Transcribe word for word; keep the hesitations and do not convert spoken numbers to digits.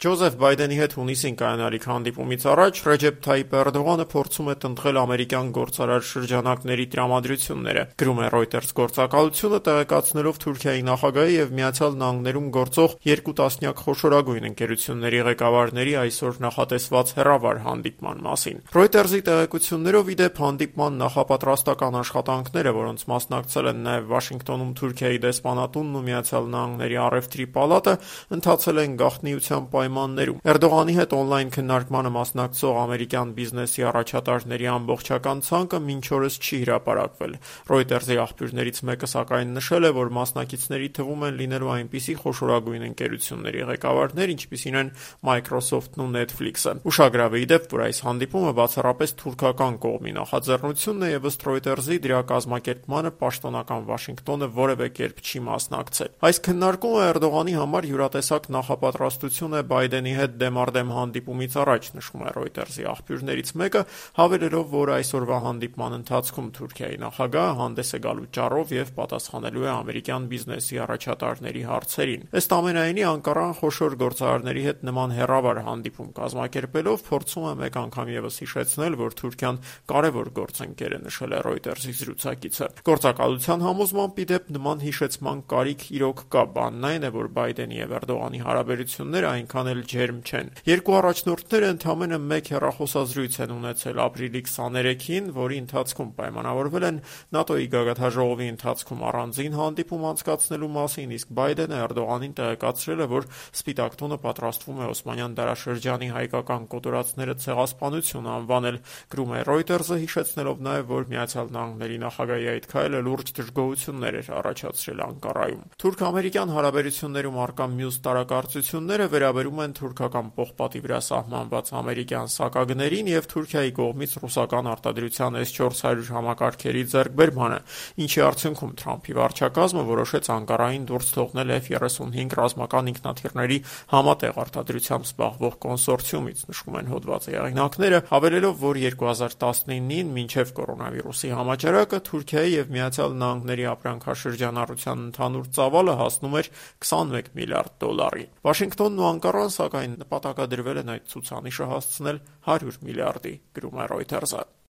Ջոզեֆ Բայդենի հետ հունիսին կայանալիք հանդիպումից առաջ Ռեջեփ Թայիփ Էրդողանը փորձում է տնտղել ամերիկյան գործարար շրջանակների տրամադրությունները, գրում է Reuters գործակալությունը, տեղեկացնելով Թուրքիայի նախագահի եւ Միացյալ Նահանգներում գործող երկու տասնյակ խոշորագույն ընկերությունների ղեկավարների այսօր նախատեսված հեռավար հանդիպման մասին։ Reuters-ի տեղեկություններով ի դեպ հանդիպման նախապատրաստական աշխատանքները, որոնց մասնակցել են նաեւ Վաշինգտոնում Թուրքիայի դեսպանատունն ու Միացյալ Նահանգների առևտրի պալատը, ընթացել են գաղտնիության պայմաններում։ Էրդողանի հետ օնլայն քննարկմանը մասնակցող ամերիկյան բիզնեսի առաջատարների ամբողջական ցանկը մինչ օրս չի հրապարակվել։ Reuters-ի աղբյուրներից մեկը սակայն նշել է, որ մասնակիցների թվում են լինելու այնպիսի խոշորագույն ընկերությունների ղեկավարներ, ինչպիսին են Microsoft-ն ու Netflix-ը։ Ուշագրավ է ի դեպ, որ այս հանդիպումը բացառապես թուրքական կողմի նախաձեռնությունն է եւ ըստ Reuters-ի դրա կազմակերպմանը պաշտոնական Վաշինգտոնը որևէ կերպ չի մասնակցել։ Այս քննարկումը Էրդողանի համար յուրատեսակ նախապատրաստություն է Բայդենի հետ դեմառդեմ հանդիպումից առաջ, նշում է Reuters-ի աղբյուրներից մեկը, հավելելով, որ այսօրվա հանդիպման ընթացքում Թուրքիայի նախագահը հանդես է գալու ճառով եւ պատասխանելու է ամերիկյան բիզնեսի առաջատարների հարցերին։ Ըստ ամենայնի, Անկարան խոշոր գործարարների հետ նման հեռավար հանդիպում կազմակերպելով փորձում է մեկ անգամ եւս հիշեցնել, որ Թուրքիան կարևոր գործընկեր է, նշել է Reuters-ի զրուցակիցը։ Գործակալության համոզմամբ ի դեպ նման հիշեցման կարիք իրոք կա, բանն այն է, որ Բայդենի եւ Էրդողանի հարաբերությունները այնքան էլ ջերմ չեն։ Երկու առաջնորդները ընդամենը մեկ հեռախոսազրույց են ունեցել ապրիլի քսաներեքին, որի ընթացքում պայմանավորվել են ՆԱՏՕ-ի գագաթնաժողովի ընթացքում առանձին հանդիպում անցկացնելու մասին, իսկ Բայդենը Էրդողանին տեղեկացրել է, որ Սպիտակ տունը պատրաստվում է Օսմանյան դարաշրջանի հայկական կոտորածները ցեղասպանություն անվանել, գրում է Reuters-ը, հիշեցնելով նաեւ, որ Միացյալ Նահանգների նախագահի այդ քայլը լուրջ դժգոհություններ էր առաջացրել Անկարայում։ Թուրք-ամերիկյան հարաբերություններում առկա մյուս տարակարծությունները վերաբերում են թուրքական պողպատի վրա սահմանված ամերիկյան սակագներին եւ Թուրքիայի կողմից ռուսական արտադրության էս չորս հարյուր համակարգերի ձեռքբերմանը, ինչի արդյունքում Թրամփի վարչակազմը որոշեց Անկարային դուրս թողնել Էֆ երեսունհինգ ռազմական ինքնաթիռների համատեղ արտադրությամբ զբաղվող կոնսորցիումից, նշում են հոդվածի հեղինակները, հավելելով, որ երկու հազար տասնինին մինչև կորոնավիրուսի համաճարակը Թուրքիայի եւ Միացյալ Նահանգների ապրանքաշրջանառության ընդհանուր ծավալը հասնում էր քսանմեկ միլիարդ դոլարի։ Վաշինգտոնն ու Անկարան, սակայն, նպատակադրվել են այդ ցուցանիշը հասցնել հարյուր միլիարդի, գրում է Reuters-ը։